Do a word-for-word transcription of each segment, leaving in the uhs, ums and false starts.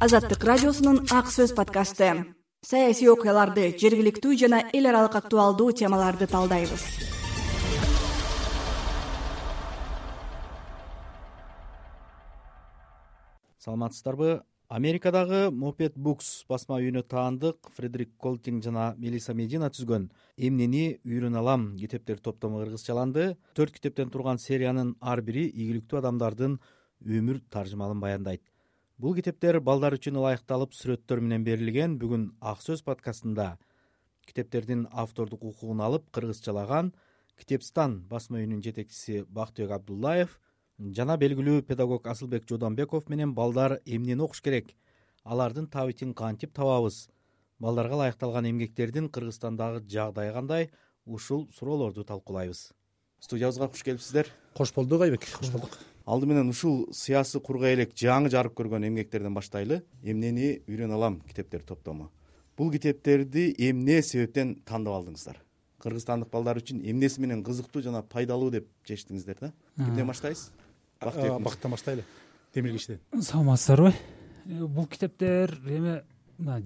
Азаттык радиосунун Ак сөз подкасты. Саясий окуяларды, жергиликтүү жана эл аралык актуалдуу темаларды талдайбыз. Саламатсыздарбы? Америкадагы Moped Books басма үйүнө таандык Фредерик Колтинг жана Мелиса Медина түзгөн «Эмнени үйрөнө алам» китептер топтому кыргызчаланды. Төрт китептен турган сериянын ар бири ийгиликтүү адамдардын өмүр таржымалын баяндайт. Бул китептер балдар үчүн ылайыкталып сүрөттөр менен берилген. Бүгүн Ак сөз подкастында китептердин автордук укугун алып кыргызчалаган Китепстан басма үйүнүн жетекчиси Бактыбек Абдуллаев жана белгилүү педагог Асылбек Жодонбеков менен балдар эмнени окуш керек, алардын табитин кантип табабыз, балдарга ылайыкталган эмгектердин Кыргызстандагы жагдайы кандай, ушул суроолорду талкуулайбыз. Студиябызга куш келипсиздер. Кош болдук Айбек. Кош болдук. Алды менен ушул сыясы курга элек жаңы жарык көргөн эмгектерден баштайлы. «Эмнени үйрөнө алам» китептер топтому. Бул китептерди эмне себептен тандап алдыңыздар? Кыргызстандык балдар үчүн эмнеси менен кызыктуу жана пайдалуу деп чечтиңиздер да? Кимден баштайсыз? Бактан баштайлы. Демир кишиден. Саламатсыздарбы? Бул китептер эме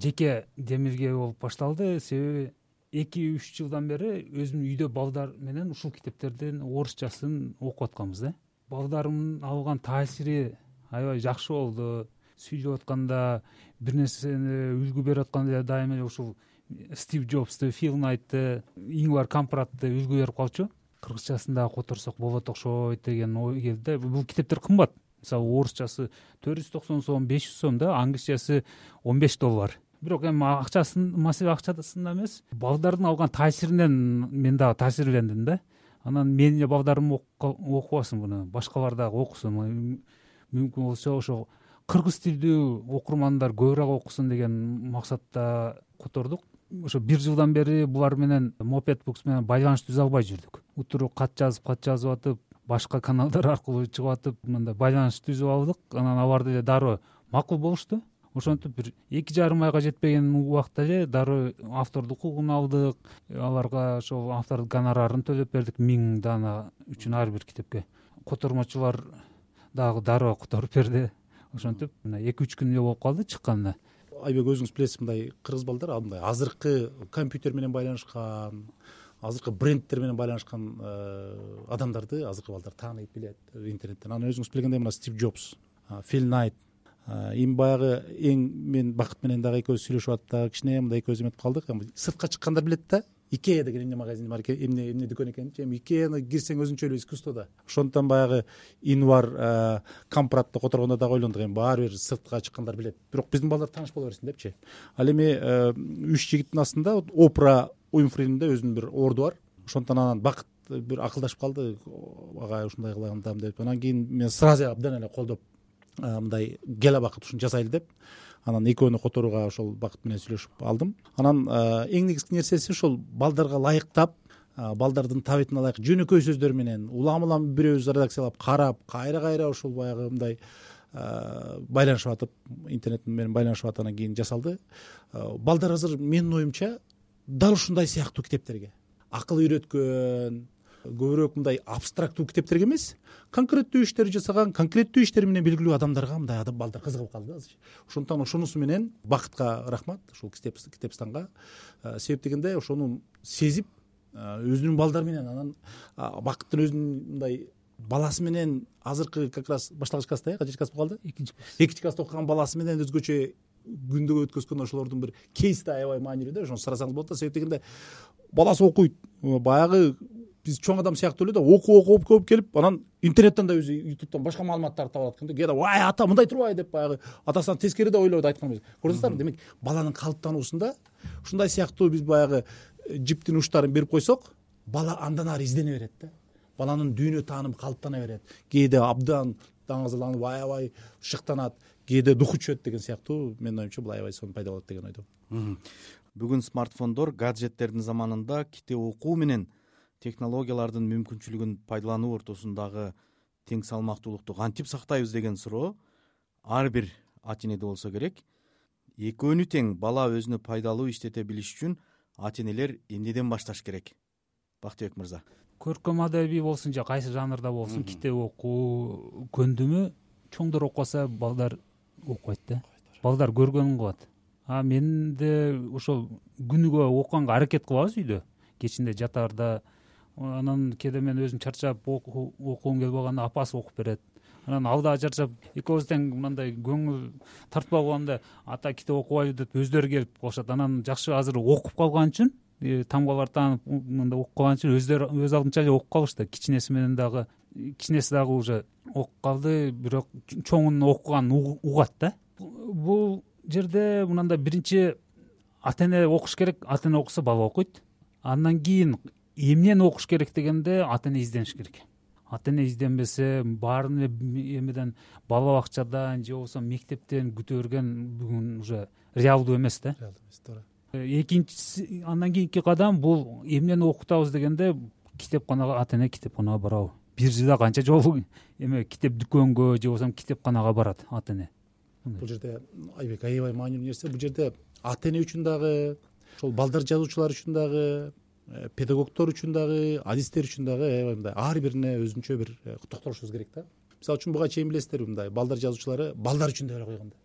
жеке Демирге болуп башталды. Себеби эки үч жылдан бери өзүмдүн үйдө балдар менен ушул китептердин орусчасын окуп атканбыз да. Балдарымдын алган таасири аябай жакшы болду. Сүйлөп атканда, бир нерсени үлгү берип атканда дайыма эле ушул Стив Джобсты, Фил Найтты, Ингвар Кампрадты үлгү берип калчу. Кыргызчасын да которсок болот окшойт деген ой келди. Бул китептер кымбат. Мисалы, орусчасы төрт жүз токсон сом, беш жүз сом да, англисчасы он беш доллар. Бирок эми акчасын, маселе акчасында эмес, балдардын алган таасиринен мен дагы таасирлендим да. Анан менин эле балдарым окубасын буну, башкалар дагы окусун. Мүмкүн болсо ошо кыргыз тилдүү окурмандар көбүрөөк окусун деген максатта котордук. Ошо бир жылдан бери булар менен Moped Books менен байланыш түзө албай жүрдүк. Утуру кат жазып, кат жазып атып, башка каналдар аркылуу чыгып атып, мындай байланыш түзүп алдык. Анан аларды эле дароо макул болушту. Ошентип бир эки жарым айга жетпеген убакта эле дароо автордук укугун алдык. Аларга ошол автордук гонорарын төлөп бердик миң дана үчүн ар бир китепке. Котормочулар дагы дароо которуп берди. Ошентип мына эки үч күн эле болуп калды чыкканына. Айбек, өзүңүз билесиз, мындай кыргыз балдар мындай азыркы компьютер менен байланышкан, азыркы брендтер менен байланышкан адамдарды азыркы балдар тааныйт, билет интернеттен. Анан өзүңүз билгендей мына Стив Джобс, Фил Найт, эми баягы эң мен Бакыт менен дагы экөөбүз сүйлөшүп аттык, кичине мындай экөөбүз эметип калдык. Сыртка чыккандар билет да. Икея деген эмне магазин бар экен, эмне эмне дүкөн экенин. Эми Икеяны кирсең өзүнчө эле искусство да. Ошондон баягы Ингвар Кампрадты которгондо дагы ойлондук, эми баары бир сыртка чыккандар билет. Бирок биздин балдар тааныш боло берсин депчи. Ал эми үч жигиттин астында Опра Уинфринин да өзүнүн бир орду бар. Ошондон анан Бакыт бир акылдашып калды, ага ушундай кылагандам деп. Анан кийин мен сразу абдан эле колдоп мындай кел Бакыт ушуну жасайлы деп. Анан экөөнү которууга ошол Бакыт менен сүйлөшүп алдым. Анан эң негизги нерсеси ошол балдарга ылайыктап, балдардын табитине ылайык жөнөкөй сөздөр менен улам-улам бирөөбүз редакциялап карап, кайра-кайра ошол баягы мындай байланышып атып, интернет менен байланышып атып анан кийин жасалды. Балдар азыр менин оюмча дал ушундай сыяктуу китептерге, акыл үйрөткөн, көбүрөөк мындай абстрактуу китептерге эмес, конкреттүү иштер жасаган, конкреттүү иштери менен белгилүү адамдарга мындай адам балдар кызыгып калды азыр. Ошондон ошонусу менен Бакытка рахмат, ушул Китепстанга. Себеп дегенде ошону сезип, өзүнүн балдары менен анан Бакыттын өзүнүн мындай баласы менен азыркы как раз башталгыч класста, э, качинчи класс болуп калды? Экинчи класс. Экинчи класста окуган баласы менен өзгөчө күндөгө өткөзгөн ошолордун бир кейси да аябай маанилүү да. Ошону сурасаңыз болот да. Себеп дегенде баласы окуйт. Баягы биз чоң адам сыяктуу эле да, окуп окуп көп келип, анан интернеттен да өзү ютубтан башка маалыматтарды таба алат экен да. Кээде вай ата мындай турбайбы деп баягы атасынан тескери да ойлойт айткан. Көрдүңүздарбы? Демек, баланын калыптануусунда ушундай сыяктуу биз баягы жиптин учтарын берип койсок, бала андан ары издене берет да. Баланын дүйнө таанымы калыптана берет. Кээде абдан даңазаланып, аябай шыктанат, кээде духу чөт деген сыяктуу. Менин оюмча бул аябай сонун пайда болот деген ойдомун. Бүгүн смартфондор, гаджеттердин заманында китеп окуу менен технологиялардын мүмкүнчүлүгүн пайдалануу ортосундагы тең салмактуулукту кантип сактайбыз деген суроо ар бир ата энеде болсо керек. Экөөнү тең бала өзүнө пайдалуу иштете билиш үчүн ата энелер эмнеден башташ керек? Бактыбек мырза. Көркөм адабий болсун же кайсы жанрда болсун, китеп окуу көндүмү чоңдор окубаса балдар окубайт да. балдар көргөнүн кылат. А мен да ошол күнүгө окуганга аракет кылабыз үйдө, кечинде жатаарда. Анан кээде мен өзүм чарчап окугум келип калганда апасы окуп берет. Анан ал дагы чарчап экөөбүз тең мындай көңүл тартпай калганда ата китеп окубайлы деп өздөрү келип калышат. Анан жакшы азыр окуп калган үчүн, тамгалар таанып мындай окуп калган үчүн өздөрү өз алдынча эле окуп калышты. Кичинеси менен дагы кичинеси дагы уже окуп калды, бирок чоңунун окуганын угат да. Бул жерде мындай биринчи ата эне окуш керек, ата эне окуса бала окуйт. Андан кийин эмнени окуш керек дегенде ата эне издениш керек. Ата эне изденбесе баарын эле эмеден бала бакчадан же болбосо мектептен күтө берген бүгүн уже реалдуу эмес да. Реалдуу эмес, туура. Экинчиси, андан кийинки кадам бул эмнени окутабыз дегенде китепканага, ата эне китепканага барабы. Бир жылда канча жолу эме китеп дүкөнгө же болбосо китепканага барат ата эне. Бул жерде Айбек аябай маанилүү нерсе. Бул жерде ата эне үчүн дагы, ошол балдар жазуучулар үчүн дагы, педагогдор үчүн дагы, адистер үчүн дагы аябай мындай ар бирине өзүнчө бир токтолушубуз керек да. Мисалы үчүн буга чейин билесиздерби, мындай балдар жазуучулары балдар үчүн деп эле койгон да.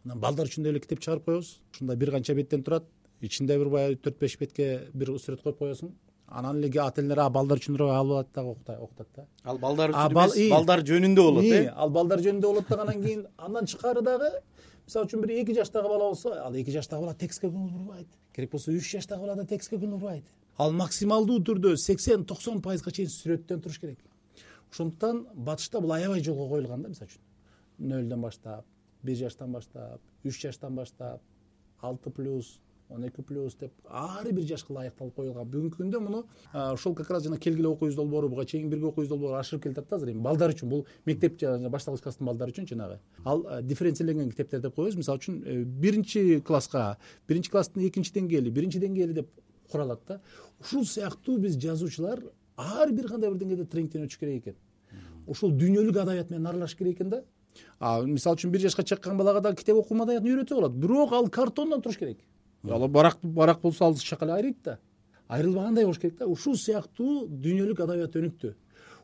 Анан балдар үчүн деп эле китеп чыгарып коебуз. Ушундай бир канча беттен турат. Ичинде бир баягы төрт беш бетке бир сүрөт коюп коесуң. Анан эле ата энелер а балдар үчүн алып алат дагы окутат да. Ал балдар үчүн эмес, балдар жөнүндө болот э. Ал балдар жөнүндө болот да. Анан кийин андан тышкары дагы мисалы үчүн бир эки жаштагы бала болсо, ал эки жаштагы бала текстке көңүл бурбайт. Керек болсо үч жаштагы бала да текстке көңүл бурбайт. Ал максималдуу түрдө сексен токсон пайызга чейин сүрөттөн туруш керек. Ошондуктан батышта бул аябай жолго коюлган да. Мисалы үчүн нөлдөн баштап, бир жаштан баштап, үч жаштан баштап, алты плюс, он эки плюс деп ар бир жашка ылайыкталып коюлган. Бүгүнкү күндө муну ошол как раз жана келгиле окуйбуз долбоору, буга чейин бирге окуйбуз долбоору ашырып келатат да азыр. Эми балдар үчүн бул мектеп жана башталгыч класстын балдары үчүн жанагы ал дифференцирленген китептер деп коебуз. Мисалы үчүн биринчи класска, биринчи класстын экинчи деңгээли, биринчи деңгээли деп куралат да. Ушул сыяктуу биз жазуучулар ар бир кандай бир деңгээлде тренингден өтүш керек экен. Ушул дүйнөлүк адаbiat менен аралашыш керек экен да. А мисалы үчүн бир жашка чыккан балага да китеп окуу маданиятын үйрөтсө болот. Бирок ал картондон туруш керек. Ал барак барак болсо ал шакал айрыйт да. Айрылбагандай болуш керек да. Ушул сыяктуу дүйнөлүк адаbiat өнүктү.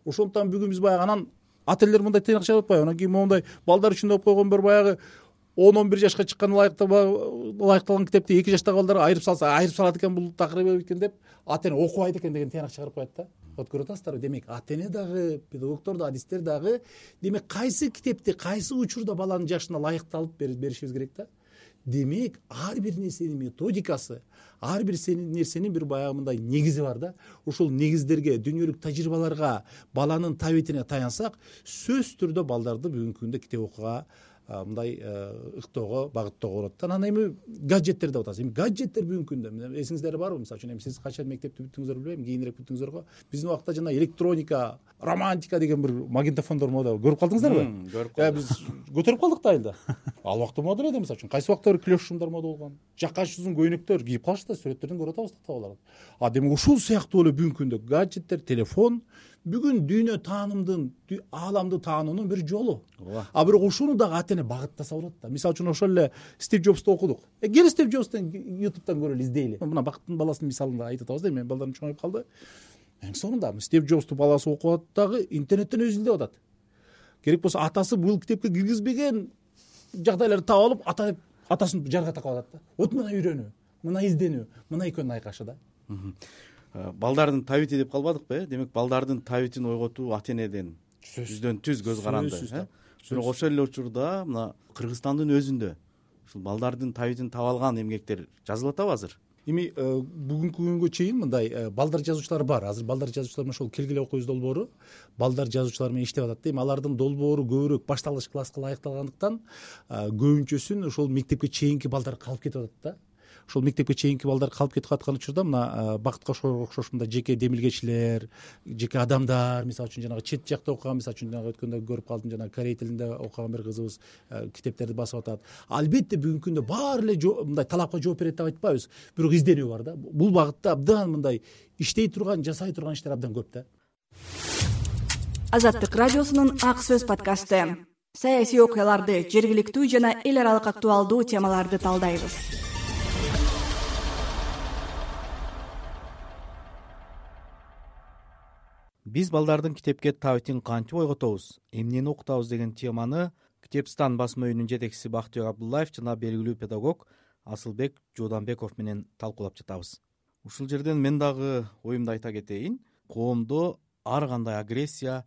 Ошондуктан бүгүн биз баягы анан ата энелер мындай тыйнак чыгып атпайбы? Анан кийин моундай балдар үчүн деп койгон бир баягы он он бир жашка чыккан ылайыкталган китепти эки жаштагы балдарга айырып салса, айырып салат экен бул такырып экен деп ата эне окубайт экен деген тыйнак чыгарып коет да. Вот көрүп атасыздарбы? Демек ата эне дагы, педагогдор да, адистер дагы демек кайсы китепти кайсы учурда баланын жашына ылайыкталып беришибиз керек да. Демек ар бир нерсенин методикасы, ар бир нерсенин бир баягы мындай негизи бар да. Ошол негиздерге, дүйнөлүк тажрыйбаларга, баланын табитине таянсак, сөзсүз түрдө балдарды бүгүнкү күндө китеп окууга мындай ыктоого, багыттоого болот. Анан эми гаджеттер деп атабыз. Эми гаджеттер бүгүнкү күндө эсиңиздер барбы? Мисалы үчүн эми сиз качан мектепти бүттүңүздөр билбейм, кийинирээк бүттүңүздөр го. Биздин убакта жана электроника, романтика деген бир магнитофондор мода көрүп калдыңыздарбы? Көрүп калдык. Биз көтөрүп калдык да айылда. Ал убакта мода эле, мисалы үчүн кайсы убакта бир клеш шумдар мода болгон. Жаккачы узун көйнөктөр кийип калышты, сүрөттөрдөн көрүп атабыз да балалар. А демек ушул сыяктуу эле бүгүнкү күндө гаджеттер, телефон бүгүн дүйнө таанымдын, ааламды таануунун бир жолу. А бирок ушуну дагы ата эне багыттаса болот да. Мисалы үчүн ошол эле Стив Джобсту окудук. Э кел Стив Джобстун ютубтан көрөлү, издейли. Мына бакыттын баласынын мисалында айтып атабыз да, эми балдарым чоңоюп калды. Эң сонунда Стив Джобсту баласы окуп атат дагы интернеттен өзү издеп атат. Керек болсо атасы бул китепке киргизбеген жагдайларды таап алып, ата деп атасын жарга такап атат да. Вот мына үйрөнүү, мына изденүү, мына экөөнүн айкашы да. Балдардын табити деп калбадыкпы э? Демек балдардын табитин ойготуу ата энеден жүздөн түз көз каранды. Бирок ошол эле учурда мына Кыргызстандын өзүндө ушул балдардын табитин таап алган эмгектер жазылып атабы азыр? Эми бүгүнкү күнгө чейин мындай балдар жазуучулар бар. Азыр балдар жазуучулар менен ошол келгиле окуйбуз долбоору балдар жазуучулар менен иштеп атат да. Эми алардын долбоору көбүрөөк башталгыч класска ылайыкталгандыктан көбүнчөсүн ошол мектепке чейинки балдар калып кетип атат да. Ошол мектепке чейинки балдар калып кетип аткан учурда мына Бакыт Кошкорго окшош мындай жеке демилгечилер, жеке адамдар, мисалы үчүн жанагы чет жакта окуган, мисалы үчүн жанагы өткөндө көрүп калдым, жанагы корей тилинде окуган бир кызыбыз китептерди басып атат. Албетте бүгүнкү күндө баары эле мындай талапка жооп берет деп айтпайбыз, бирок изденүү бар да. Бул багытта абдан мындай иштей турган, жасай турган иштер абдан көп да. Азаттык радиосунун Ак сөз подкасты. Саясий окуяларды, жергиликтүү жана эл аралык актуалдуу темаларды талдайбыз. Биз балдардын китепке табитин кантип ойготобуз, эмнени окутабыз деген теманы Китепстан басма үйүнүн жетекчиси Бактыбек Абдуллаев жана белгилүү педагог Асылбек Жууданбеков менен талкуулап жатабыз. Ушул жерден мен дагы оюмду айта кетейин. Коомдо ар кандай агрессия,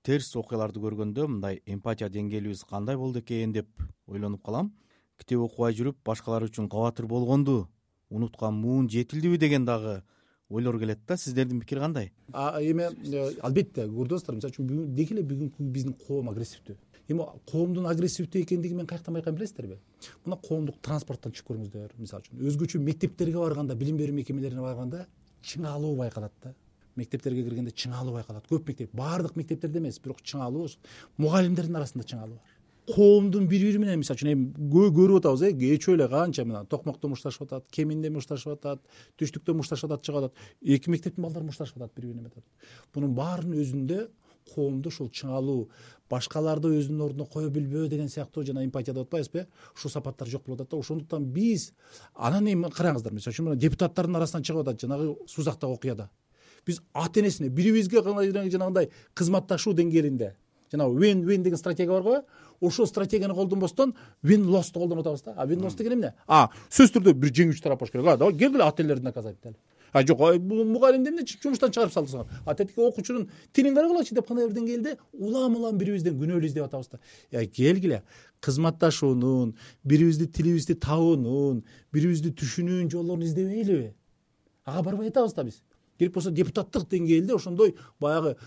терс окуяларды көргөндө мындай эмпатия деңгээлибиз кандай болду экен деп ойлонуп калам. Китеп окубай жүрүп башкалар үчүн кабатыр болгонду унуткан муун жетилдиби деген дагы ойлор келет да. Сиздердин пикир кандай? Эми албетте көрдүңүз достор, мисалы үчүн деги эле бүгүнкү биздин коом агрессивдүү. Эми коомдун агрессивдүү экендигин мен каяктан байкайм билесиздерби? Мына коомдук транспорттон чыгып көрүңүздөр. Мисалы үчүн өзгөчө мектептерге барганда, билим берүү мекемелерине барганда чыңалуу байкалат да. Мектептерге киргенде чыңалуу байкалат. Көп мектеп, баардык мектептерде эмес, бирок чыңалуу мугалимдердин арасында чыңалуу бар. Коомдун бири-бири менен мисалы үчүн эми көрүп атабыз, э, кечөө эле канча мына токмокто мушташып атат, кеминде мушташып атат, түштүктө мушташып атат, чыгып атат. Эки мектептин балдары мушташып атат бири-бирине. Бунун баарынын өзүндө коомдо ушул чыңалуу, башкаларды өзүнүн ордуна кое билбөө деген сыяктуу жана эмпатия деп атпайбызбы? Ушул сапаттар жок болуп атат да. Ошондуктан биз анан эми караңыздар, мисалы үчүн депутаттардын арасынан чыгып атат жанагы Сузактагы окуяда. Биз ата энесине бирибизге жанагындай кызматташуу деңгээлинде жана win-win деген стратегия бар го. Ошол стратегияны колдонбостон win-loss колдонуп атабыз да. А win-loss деген эмне? А, сөзсүз түрдө бир жеңүүчү тарап болуш керек. А, давай келгиле ата энелерди наказать деле. А жок, бул мугалимди эмне жумуштан чыгарып салдыңар? А тетиги окуучунун тилин карагылачы деп кандай бир деңгээлде улам-улам бирибизден күнөөлүү издеп атабыз да. Я келгиле кызматташуунун, бирибизди тилибизди табуунун, бирибизди түшүнүүнүн жолдорун издебейлиби? Ага барбай атабыз да биз. Керек болсо депутаттык деңгээлде ошондой баягы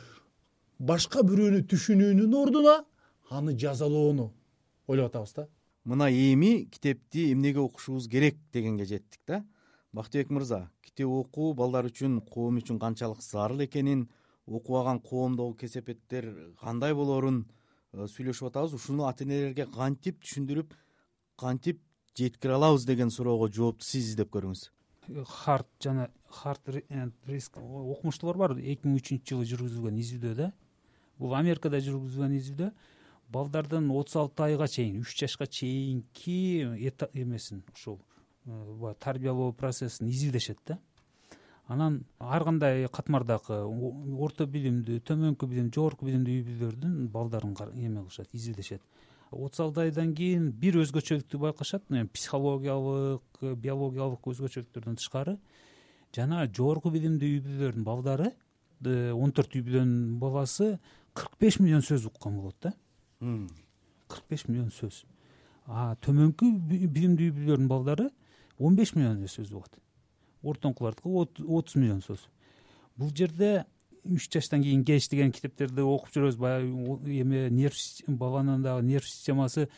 башка бирөөнү түшүнүүнүн ордуна аны жазалоону ойлоп атабыз да. Мына эми китепти эмнеге окушубуз керек дегенге жеттик да. Бактыбек мырза, китеп окуу балдар үчүн, коом үчүн канчалык зарыл экенин, окубаган коомдогу кесепеттер кандай болорун сүйлөшүп атабыз. Ушуну ата энелерге кантип түшүндүрүп, кантип жеткире алабыз деген суроого жоопту сиз издеп көрүңүз. Харт жана Харт риск окумуштуулар бар. эки миң үчүнчү жылы жүргүзүлгөн изилдөө да. Бул Америкада жүргүзүлгөн изилдөө. Балдардын отуз алты айга чейин, үч жашка чейинки эмесин, ушул тарбиялоо процессин изилдешет да. Анан ар кандай катмардагы орто билимдүү, төмөнкү билим, жогорку билимдүү үй-бүлөлөрдүн балдарын эме кылышат, изилдешет. отуз алты айдан кийин бир өзгөчөлүктү байкашат, психологиялык, биологиялык өзгөчөлүктөрдөн тышкары жана жогорку билимдүү үй-бүлөлөрдүн балдары, он төрт үй-бүлөнүн баласы кырк беш миллион сөз уккан болот да. кырк беш миллион сөз. А төмөнкү билимдүү үй-бүлөлөрдүн балдары он беш миллион сөз угат. Ортоңкулардыкы отуз миллион сөз. Бул жерде үч жаштан кийин кеч деген китептерди окуп жүрөбүз. Баягы эме нерв баланын дагы нерв системасы,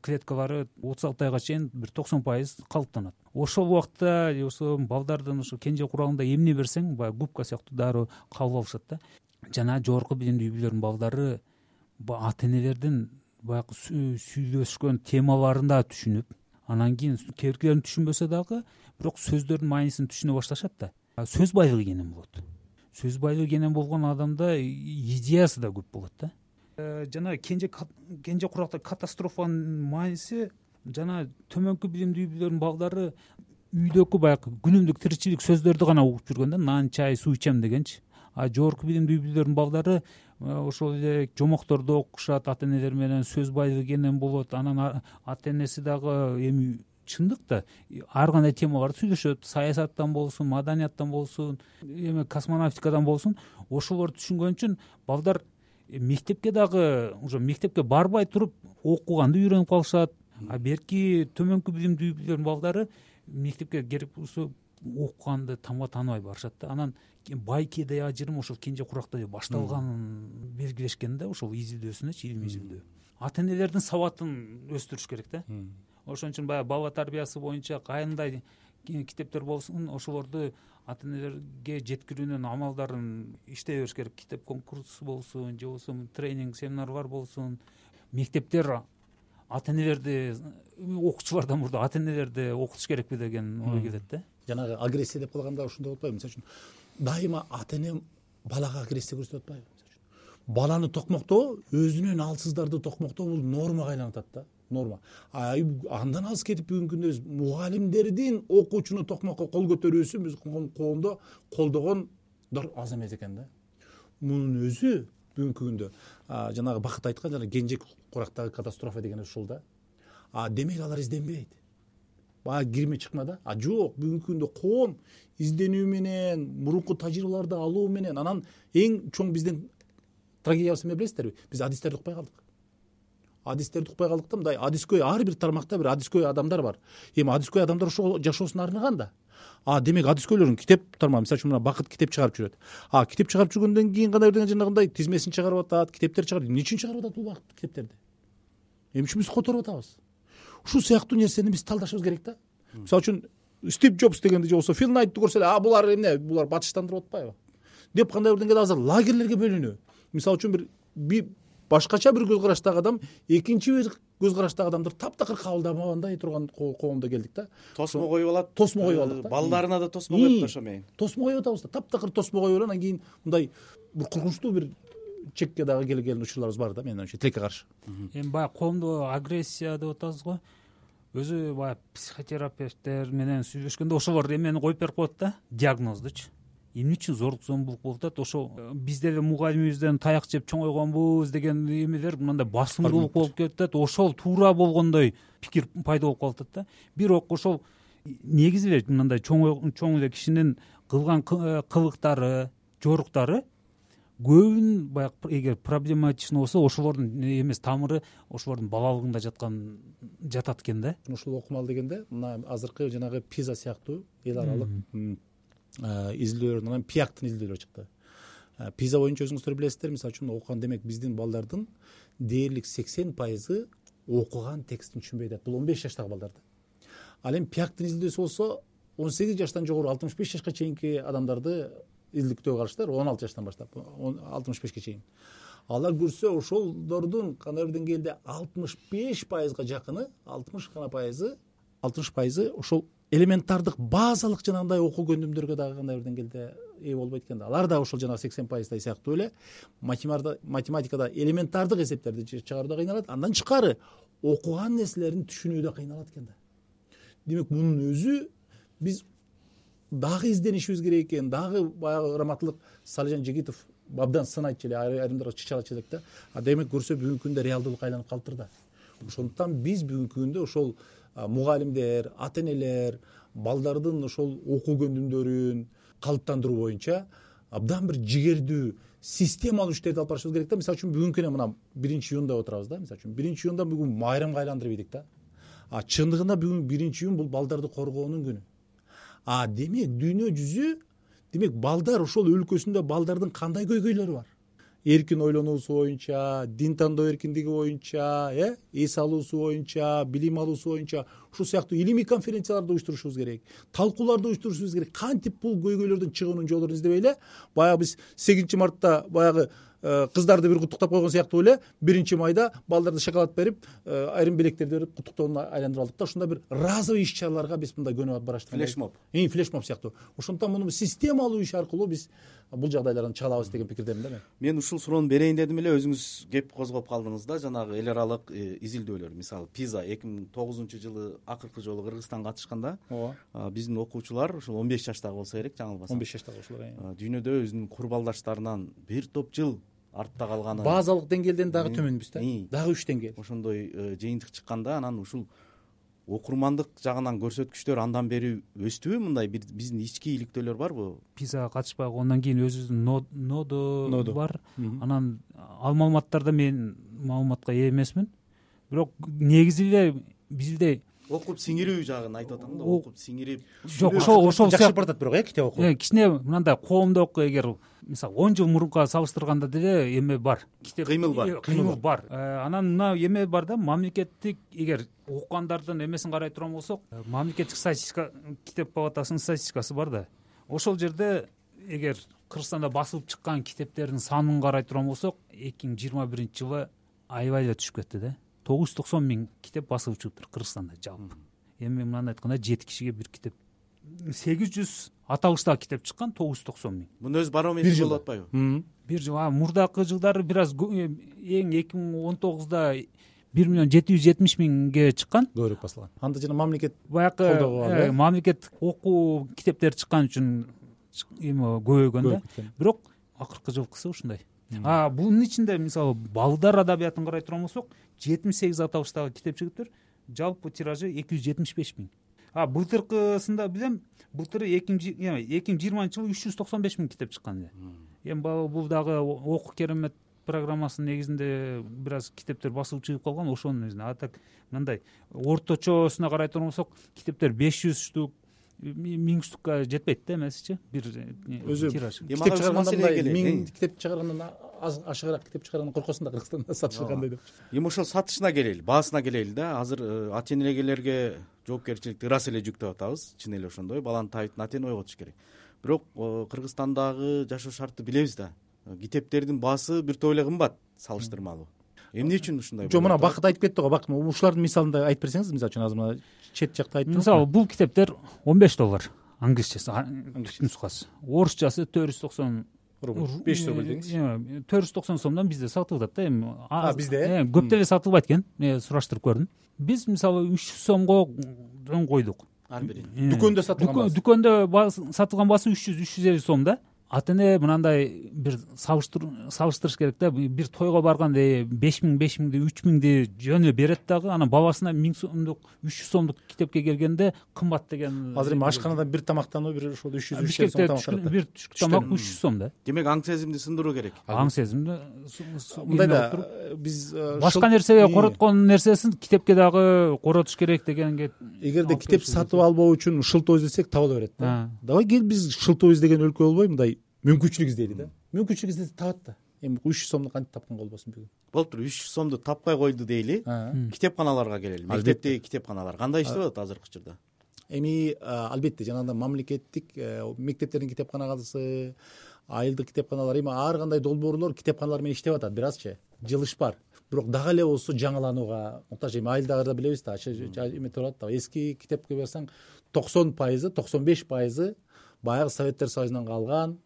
клеткалары отуз алты айга чейин бир токсон пайыз калыптанат. Ошол убакта ошо балдардын ошо кенже курагында эмне берсең, баягы губка сыяктуу дароо кабыл алышат да. Жана жогорку билимдүү үй-бүлөлөрдүн балдары ата энелердин баягы сүйлөшкөн темаларын да түшүнүп, анан кийин кээбиркилерин түшүнбөсө дагы, бирок сөздөрдүн маанисин түшүнө башташат да. Сөз байлыгы кенен болот. Сөз байлыгы кенен болгон адамда идеясы да көп болот да. Жана кенже кенже куракта катастрофанын мааниси, жана төмөнкү билимдүү үй-бүлөлөрдүн балдары үйдөгү баягы күнүмдүк тиричилик сөздөрдү гана угуп жүргөн да, нан, чай, суу ичем дегенчи. А жогорку билимдүү үй-бүлөлөрдүн балдары ошол эле жомокторду окушат, ата энелер менен сөз байлыгы кенен болот. Анан ата энеси дагы эми чындык да ар кандай темаларды сүйлөшөт. Саясаттан болсун, маданияттан болсун, эме космонавтикадан болсун, ошолорду түшүнгөн үчүн балдар мектепке дагы уже мектепке барбай туруп окуганды үйрөнүп калышат. А берки төмөнкү билимдүү үй-бүлөлөрдүн балдары мектепке керек болсо окуганды тамга тааныбай барышат да. Анан байкеде ажырым ошол кенже куракта башталганын белгилешкен да, ошол изилдөөсүнөчү, илимий изилдөө. Ата энелердин сабатын өстүрүш керек да. Ошон үчүн баягы бала тарбиясы боюнча кандай китептер болсун, ошолорду ата энелерге жеткирүүнүн амалдарын иштей бериш керек. Китеп конкурсу болсун, же болбосо тренинг, семинарлар болсун. Мектептер ата энелерди, окуучулардан мурда ата энелерди окутуш керекпи деген ой келет да. Жанагы агрессия деп калганда ушундай болуп атпайбы? Мисалы үчүн дайыма ата эне балага агрессия көрсөтүп атпайбы? Баланы токмоктоо, өзүнөн алсыздарды токмоктоо бул нормага айланып атат да. Норма. А андан алыс кетип бүгүнкү күндө биз мугалимдердин окуучуну токмокко кол көтөрүүсүн биз коомдо колдогондор аз эмес экен да. Мунун өзү бүгүнкү күндө жанагы Бакыт айткан жана Кенжек Курактагы катастрофа деген ушул да. А демек алар изденбейт, баягы кирме чыкма да. А жок, бүгүнкү күндө коом изденүү менен, мурунку тажрыйбаларды алуу менен, анан эң чоң биздин трагедиябыз эмне билесиздерби? Биз адистерди укпай калдык. Адистерди укпай калдык да, мындай адискөй ар бир тармакта бир адискөй адамдар бар. Эми адискөй адамдар ошол жашоосуна арныган да. А демек адискөйлөрүн китеп тармагы, мисалы үчүн мына Бакыт китеп чыгарып жүрөт. А китеп чыгарып жүргөндөн кийин кандай бир жанагындай тизмесин чыгарып атат, китептер чыгарып. Эмне үчүн чыгарып атат бул Бакыт китептерди? Эмне үчүн биз которуп атабыз? Ушул сыяктуу нерсени биз талдашыбыз керек да. Мисалы үчүн Стив Джобс дегенди же болбосо Фил Найтты көрсө эле, а булар эмне, булар батыштандырып атпайбы деп кандай бир деңгээлде азыр лагерлерге бөлүнүү. Мисалы үчүн бир башкача бир көз караштагы адам экинчи бир көз караштагы адамдарды таптакыр кабылдабагандай турган коомдо келдик да. Тосмо коюп алат. Тосмо коюп алдык да. Балдарына да тосмо коюп ташамайын. Тосмо коюп атабыз да. Таптакыр тосмо коюп анан кийин мындай бир коркунучтуу бир чекке дагы келген учурларыбыз бар да, менин оюмча, тилекке каршы. Эми баягы коомдо агрессия деп атабыз го. Өзү баягы психотерапевттер менен сүйлөшкөндө ошолор эмени коюп берип коет да, диагноздучу. Эмне үчүн зорлук зомбулук болуп атат? Ошо биз деле мугалимибизден таяк жеп чоңойгонбуз деген эмелер мындай басымдуулук болуп кетет. Ошол туура болгондой пикир пайда болуп калып атат да. Бирок ошол негизи эле мындай чоң чоң эле кишинин кылган кылыктары, жоруктары көбүн баягы эгер проблематичный болсо ошолордун эмес тамыры ошолордун балалыгында жаткан жатат экен да. Ушул окумал дегенде мына азыркы жанагы Пиза сыяктуу эл аралык изилдөөлөрдөн анан Пиактын изилдөөлөрү чыкты. Пиза боюнча өзүңүздөр билесиздер, мисалы үчүн окуган, демек биздин балдардын дээрлик сексен пайызы окуган текстин түшүнбөй атат. Бул он беш жаштагы балдарда. Ал эми Пиактын изилдөөсү болсо он сегиз жаштан жогору алтымыш беш жашка чейинки адамдарды изилдөөгө алыштыр, он алты жаштан баштап алтымыш бешке чейин. Алар көрсө ошолордун кандай бир деңгээлде алтымыш беш пайызга жакыны, алтымыш гана пайызы, алтымыш пайызы ошол элементардык базалык жанагындай окуу көндүмдөргө дагы кандай бир деңгээлде ээ болбойт экен да. Алар да ошол жанагы сексен пайыздай сыяктуу эле математикада элементардык эсептерди чыгарууда кыйналат, андан тышкары окуган нерселерин түшүнүүдө кыйналат экен да. Демек мунун өзү биз дагы изденишибиз керек экен, дагы баягы раматтылык Салижан Жигитов абдан сын айтчу эле, айрымдары чычалачу элек да. А демек көрсө бүгүнкү күндө реалдуулукка айланып калыптыр да. Ошондуктан биз бүгүнкү күндө ошол мугалимдер, ата энелер балдардын ошол окуу көндүмдөрүн калыптандыруу боюнча абдан бир жигердүү системалуу иштерди алып барышыбыз керек да. Мисалы үчүн бүгүнкү күнү мына биринчи июнда отурабыз да. Мисалы үчүн биринчи июнда бүгүн майрамга айландырып ийдик да. А чындыгында бүгүн биринчи июн бул балдарды коргоонун күнү. А демек дүйнө жүзү, демек балдар ошол өлкөсүндө балдардын кандай көйгөйлөрү бар? Эркин ойлонуусу боюнча, дин тандоо эркиндиги боюнча, э, эс алуусу боюнча, билим алуусу боюнча ушул сыяктуу илимий конференцияларды уюштурушубуз керек, талкууларды уюштурушубуз керек. Кантип бул көйгөйлөрдөн чыгуунун жолдорун издебей эле, баягы биз сегизинчи мартта баягы кыздарды бир куттуктап койгон сыяктуу эле биринчи майда балдарды шоколад берип, айрым белектерди берип куттуктоонун айландырып алдык да. Ушундай бир разовый иш-чараларга биз мындай көнүп бараштык. Флешмоб. Эң флешмоб сыяктуу. Ошондуктан муну системалуу иш аркылуу биз бул жагдайлардан чыга алабыз деген пикирдемин да мен. Мен ушул суроону берейин дедим эле, өзүңүз кеп козгоп калдыңыз да. Жанагы эл аралык изилдөөлөр, мисалы Пиза эки миң тогузунчу жылы акыркы жолу Кыргызстанга катышканда, ооба, биздин окуучулар ушул он беш жаштагы болсо керек, жаңылбасам. он беш жаштагы ушулар дүйнөдө өзүнүн курбалдаштарынан бир топ жыл артта калганы, базалык деңгээлден дагы төмөнбүз да. Дагы үч деңгээл. Ошондой жыйынтык чыкканда анан ушул окурмандык жагынан көрсөткүчтөр андан бери өстүбү? Мындай биздин ички иликтөөлөр барбы? Пизага катышпай койгондон кийин өзүбүздүн нодо бар. Анан ал маалыматтарда мен маалыматка ээ эмесмин. Бирок негизи эле бизде окуп сиңирүү жагын айтып атам да. Окуп сиңирип. Жок, ошол ошол жакшы баратат бирок э китеп окуу. Кичине мындай коомдук, эгер мисалы он жыл мурунка салыштырганда деле эме бар. Китеп кыймыл бар. Кыймыл бар. Анан мына эме бар да, мамлекеттик, эгер окугандардын эмесин карай турган болсок, мамлекеттик статистика, китеп палатасынын статистикасы бар да. Ошол жерде эгер Кыргызстанда басылып чыккан китептердин санын карай турган болсок, эки миң жыйырма биринчи жылы аябай эле түшүп кетти да. тогуз жүз токсон миң китеп басылып чыгыптыр Кыргызстанда жалпы. Эми мындай айтканда жети кишиге бир китеп, сегиз жүз аталыштагы китеп чыккан, тогуз жүз токсон миң. Муну өз барометри болуп атпайбы? Бир жыл. Мурдакы жылдары бир аз эң эки миң он тогузда бир миллион жети жүз жетимиш миңге чыккан. Көбүрөөк басылган. Анда жана мамлекет баягы мамлекет окуу китептери чыккан үчүн эме көбөйгөн да. Бирок акыркы жылкысы ушундай. а бунун ичинде мисалы балдар адабиятын карай турган болсок жетимиш сегиз аталыштагы китеп жигиттер жалпы тиражы эки жүз жетимиш беш миң. А былтыркысында билем, былтыры эки миң жыйырманчы жылы үч жүз токсон беш миң китеп чыккан эле. Эми бул дагы окуу керемет программасынын негизинде бир аз китептер басылып чыгып калган, ошонун негизинде. А так мындай орточосуна карай турган болсок, китептер беш жүз штук, миң штукка жетпейт да эмесичи бир өзү тираж. Китеп чыгарганда миң китеп чыгаргандан аз ашыгыраак китеп чыгаргандан коркосуң да Кыргызстанда сатышы кандай деп. Эми ошол сатышына келели, баасына келели да. Азыр ата энелерге жоопкерчиликти ырас эле жүктөп атабыз. Чын эле ошондой, баланын табитин ата эне ойготуш керек. Бирок Кыргызстандагы жашоо шартты билебиз да. Китептердин баасы бир топ эле кымбат салыштырмалуу. Эмне үчүн ушундай? Жок, мына Бакыт айтып кетти го. Бакыт, ушулардын мисалында айтып берсеңиз, мисалы үчүн азыр мына чет жакта айтып. Мисалы бул китептер он беш доллар англисчеси, нускасы. Орусчасы төрт жүз токсон беш жүз рубль деңиз. төрт жүз токсон сомдон бизде сатылып атат да эми. А бизде көп деле сатылбайт экен. Сураштырып көрдүм. Биз мисалы үч жүз сомго койдук. Ар бири. Дүкөндө сатылган баасы. Дүкөндө сатылган баасы үч жүз үч жүз элүү сом да. Ата эне мынандай бир салыштырыш керек да. Бир тойго барганда беш миң беш миңди үч миңди жөн эле берет дагы, анан бабасына миң сомдук үч жүз сомдук китепке келгенде кымбат деген. Азыр эми ашканадан бир тамактануу бир ошол үч жүз үч жүз сом тамак. Бир түшкү тамак үч жүз сом да. Демек аң сезимди сындыруу керек. Аң сезимди мындай да биз башка нерсеге короткон нерсесин китепке дагы коротуш керек дегенге. Эгерде китеп сатып албоо үчүн шылтоо издесек таба албай берет да. Давай кел биз шылтоо издеген өлкө болбой мындай мүмкүнчүлүк издейли да. Мүмкүнчүлүк издесе табат да. Эми үч жүз сомду кантип тапкан болбосун бүгүн. Болуптур, үч жүз сомду таппай койду дейли. Китепканаларга келели. Мектептеги китепканалар кандай иштеп атат азыркы учурда? Эми албетте жанагындай мамлекеттик мектептердин китепканалары, айылдык китепканалар, эми ар кандай долбоорлор китепканалар менен иштеп атат. Бир азчы жылыш бар. Бирок дагы эле болсо жаңыланууга муктаж. Эми айылдагыларда билебиз да, эме турат да. Эски китепке барсаң токсон пайызы, токсон беш пайызы баягы Советтер Союзунан калган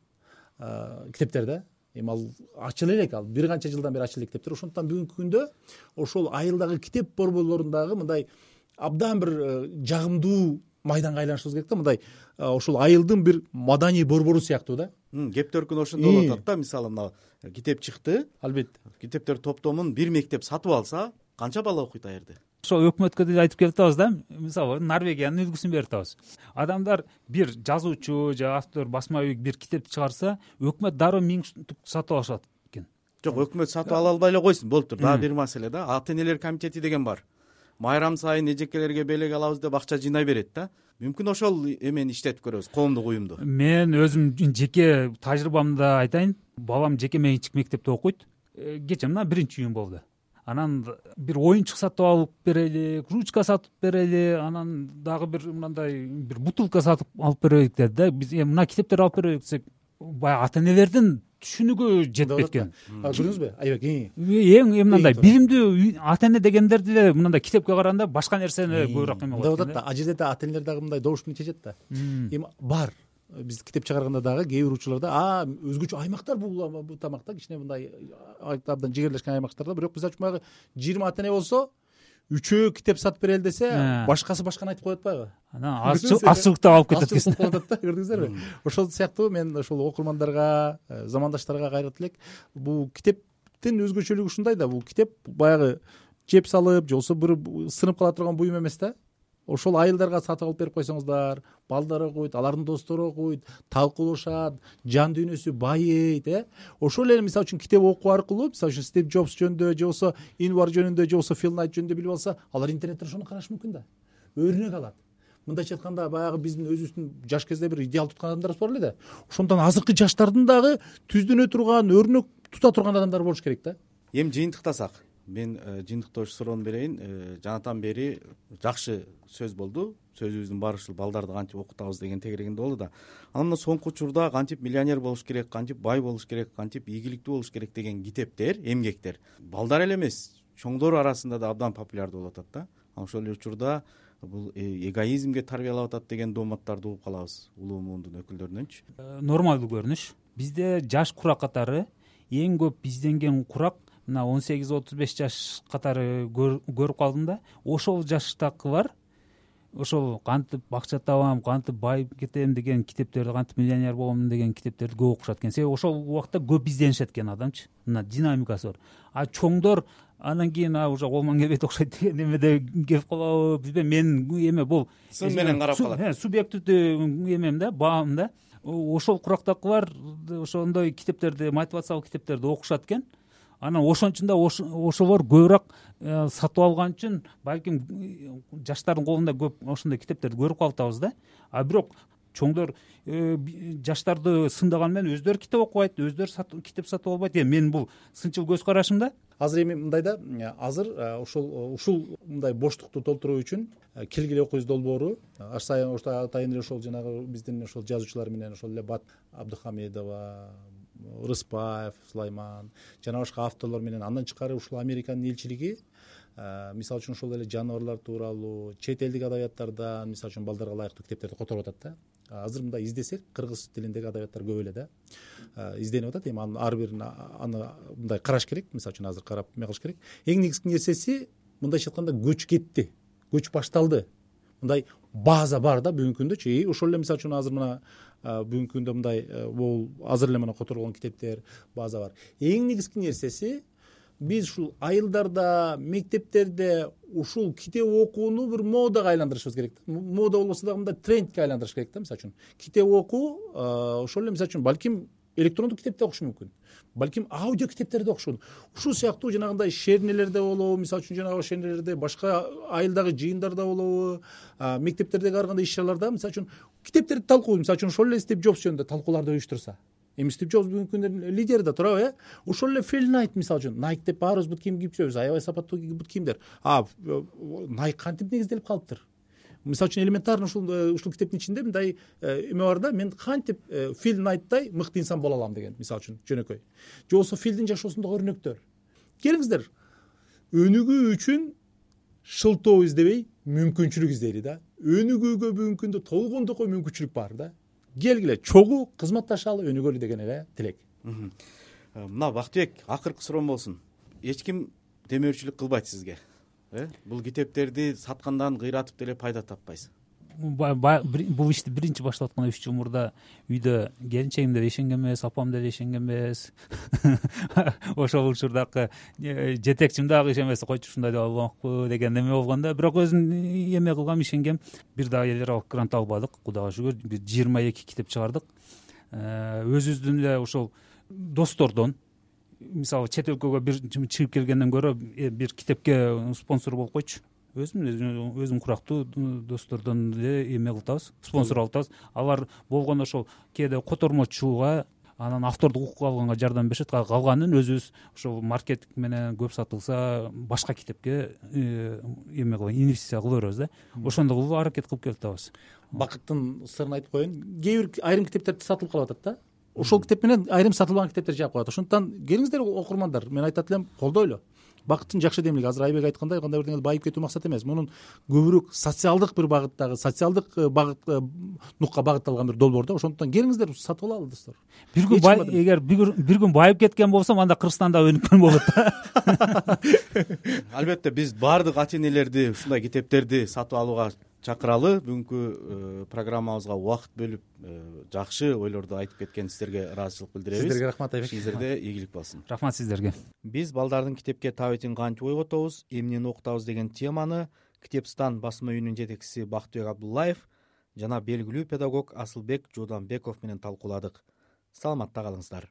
китептер да. Эми ал ачыла элек, ал бир канча жылдан бери ачыла элек китептер. Ошондуктан бүгүнкү күндө ошол айылдагы китеп борборлорундагы мындай абдан бир жагымдуу майданга айланышыбыз керек да. Мындай ошол айылдын бир маданий борбору сыяктуу да. Кеп төркүн ошондой болуп атат да. Мисалы мына китеп чыкты. Албетте. Китептер топтомун бир мектеп сатып алса, канча бала окуйт а жерде? Ошо өкмөткө деле айтып келип атабыз да. Мисалы Норвегиянын үлгүсүн берип атабыз. Адамдар бир жазуучу же автор, басма үй бир китепти чыгарса, өкмөт дароо миң штук сатып алышат экен. Жок, өкмөт сатып ала албай эле койсун. Болуптур. Дагы бир маселе да. Ата энелер комитети деген бар. Майрам сайын эжекелерге белек алабыз деп акча жыйнай берет да. Мүмкүн ошол эмени иштетип көрөбүз, коомдук уюмду. Мен өзүм жеке тажрыйбамды айтайын. Балам жеке менчик мектепте окуйт. Кечээ мына биринчи июнь болду. Анан бир оюнчук сатып алып берели, ручка сатып берели, анан дагы бир мындай бир бутылка сатып алып берелик деди да. Биз мына китептер алып берелик десек, баягы ата энелердин түшүнүгү жетпейт экен. Көрдүңүзбү? Айбек, эң мындай билимдүү ата эне дегендер деле мындай китепке караганда башка нерсени көбүрөөк эме кылат. Мындай да, а жерде да ата энелер дагы мындай добуш менен чечет да. Эми бар. Биз китеп чыгарганда дагы кээ бир учурларда а өзгөчө аймактар бул тамакта кичине мындай абдан жигерлешкен аймактарда, бирок биз үчүн баягы жыйырма ата эне болсо үчөө китеп сатып берели десе, башкасы башканы айтып коет атпайбы? Анан аччылыкта калып кетет экен. Аччылык калып атат да, көрдүңүздөрбү? Ошол сыяктуу мен ошол окурмандарга, замандаштарга кайрат элек, бул китептин өзгөчөлүгү ушундай да, бул китеп баягы жеп салып же болбосо бир сынып кала турган буюм эмес да. Ошол айылдарга сатып алып берип койсоңуздар, балдар окуйт, алардын достору окуйт, талкуулашат, жан дүйнөсү байыйт, э. Ошол эле мисалы үчүн китеп окуу аркылуу, мисалы үчүн Стив Джобс жөнүндө же болбосо Инвар жөнүндө же болбосо Фил Найт жөнүндө билип алса, алар интернеттен ошону карашы мүмкүн да. Өрнөк алат. Мындайча айтканда баягы биздин өзүбүздүн жаш кезде бир идеал туткан адамдарыбыз бар эле да. Ошондон азыркы жаштардын дагы түздөнө турган, өрнөк тута турган адамдар болуш керек да. Эми жыйынтыктасак, мен жыйынтыктоочу суроону берейин. Жанатан бери жакшы сөз болду. Сөзүбүздүн баары ушул балдарды кантип окутабыз деген тегерегинде болду да. Анан мына соңку учурда кантип миллионер болуш керек, кантип бай болуш керек, кантип ийгиликтүү болуш керек деген китептер, эмгектер балдар эле эмес, чоңдор арасында да абдан популярдуу болуп атат да. Ошол эле учурда бул эгоизмге тарбиялап атат деген дооматтарды угуп калабыз улуу муундун өкүлдөрүнөнчү. Нормалдуу көрүнүш. Бизде жаш курак катары эң көп изденген курак мына он сегиз отуз беш жаш катары көрүп калдым да. Ошол жаштагылар ошол кантип акча табам, кантип байып кетем деген китептерди, кантип миллионер болом деген китептерди көп окушат экен. Себеби ошол убакта көп изденишет экен адамчы, мына динамикасы бар. А чоңдор анан кийин а уже колман кебет окшойт деген эмеде кеп калабы, билбейм, менин эме бул сын менен карап калат. Субъективдүү эмем да, баам да. Ошол курактакылар ошондой китептерди, мотивациялык китептерди окушат экен. Анан ошончун да ошолор көбүрөөк сатып алган үчүн балким жаштардын колунда көп ошондой китептерди көрүп калатабыз да. А бирок чоңдор жаштарды сындаган менен өздөрү китеп окубайт, өздөрү китеп сатып албайт. Менин бул сынчыл көз карашым да. Азыр эми мындай да, азыр ошол ушул мындай боштукту толтуруу үчүн келгиле окуйбуз долбоору аш сайын атайын эле ошол жанагы биздин ошол жазуучулар менен ошол эле Бат Абдыхамедова, Рыспаев, Сулайман жана башка авторлор менен андан тышкары ушул Американын элчилиги мисалы үчүн ошол эле жаныбарлар тууралуу чет элдик адабияттардан мисалы үчүн балдарга ылайыктуу китептерди которуп атат да. Азыр мындай издесек кыргыз тилиндеги адабияттар көп эле да изденип атат. Эми анын ар бирин аны мындай караш керек, мисалы үчүн азыр карап эме кылыш керек. Эң негизги нерсеси мындайча айтканда көч кетти, көч башталды. Мындай база бар да бүгүнкү күндөчү. И ошол эле мисалы үчүн азыр мына бүгүнкү күндө мындай бул азыр эле мына которулган китептер база бар. Эң негизги нерсеси биз ушул айылдарда, мектептерде ушул китеп окууну бир модага айландырышыбыз керек да. Мода болбосо дагы мындай трендке айландырыш керек да. Мисалы үчүн китеп окуу ошол эле мисалы үчүн балким электрондук китепте окуш мүмкүн, балким аудио китептерди окуш мүмкүн. Ушул сыяктуу жанагындай шернелерде болобу, мисалы үчүн жанагы шернелерде, башка айылдагы жыйындарда болобу, мектептердеги ар кандай иш чараларда мисалы үчүн китептерди талкуу, мисалы үчүн ошол эле Стив Джобс жөнүндө талкууларды уюштурса. Эми Стив Джобс бүгүнкү күндүн лидери да турабы, э? Ошол эле Фил Найт мисалы үчүн Nike деп баарыбыз бут кийим кийип жүрөбүз, аябай сапаттуу бут кийимдер. А Nike кантип негизделип калыптыр? Мисалы үчүн элементарно ушул ушул китептин ичинде мындай эме бар да, мен кантип Фил Найттай мыкты инсан боло алам деген, мисалы үчүн жөнөкөй. Же болбосо Филдин жашоосундагы өрнөктөр. Келиңиздер, өнүгүү үчүн шылтоо издебей мүмкүнчүлүк издейли да. Өнүгүүгө бүгүнкү күндө толгондокой мүмкүнчүлүк бар да. Келгиле чогуу кызматташалы, өнүгөлү деген эле тилек. Мына Бактыбек, акыркы суроом болсун. Эч ким демөөрчүлүк кылбайт сизге, э? Бул китептерди саткандан кыйратып деле пайда таппайсыз. Бул ишти биринчи баштап атканда үч жыл мурда үйдө келинчегим деле ишенген эмес, апам деле ишенген эмес. Ошол учурдагы жетекчим дагы ишенбесе, койчу ушундай деп албакпы деген эме болгон да. Бирок өзүм эме кылгам, ишенгем. Бир дагы эл аралык грант албадык, Кудайга шүгүр. Бир жыйырма эки китеп чыгардык. Өзүбүздүн эле ошол достордон, мисалы чет өлкөгө бир чыгып келгенден көрө бир китепке спонсор болуп койчу. Өзүм өзүм курактуу достордон эле эме кылтабыз, спонсор алып атабыз. Алар болгондо ошол кээде котормочуга, анан автордук укук алганга жардам беришет. Калганын өзүбүз ошол маркетинг менен көп сатылса башка китепке эме кылып инвестиция кыла беребиз да. Ошондой кылып аракет кылып келатабыз. Бакыттын сырын айтып коеюн. Кээ бир айрым китептерди сатылып калып атат да. Ошол китеп менен айрым сатылган китептер жаап коет. Ошондуктан келиңиздер окурмандар, мен айтат элем, колдойлу. Бакыттын жакшы демилиги азыр Айбек айткандай кандай бир деңгээлде байып кетүү максат эмес. Мунун көбүрөөк социалдык бир багыттагы, социалдык багыт нукка багытталган бир долбоор да. Ошондуктан келиңиздер сатып алалы достор. Бир күн эгер бир күн байып кеткен болсом, анда Кыргызстанда өнүккөн болот да. Албетте биз баардык ата энелерди ушундай китептерди сатып алууга чакыралы. Бүгүнкү программабызга убакыт бөлүп жакшы ойлорду айтып кеткениңиздерге ыраазычылык билдиребиз. Сиздерге рахмат Айбек. Сиздерге ийгилик болсун. Рахмат сиздерге. Биз балдардын китепке табитин кантип ойготобуз, эмнени окутабыз деген теманы Китепстан басма үйүнүн жетекчиси Бактыбек Абдуллаев жана белгилүү педагог Асылбек Жууданбеков менен талкууладык. Саламатта калыңыздар.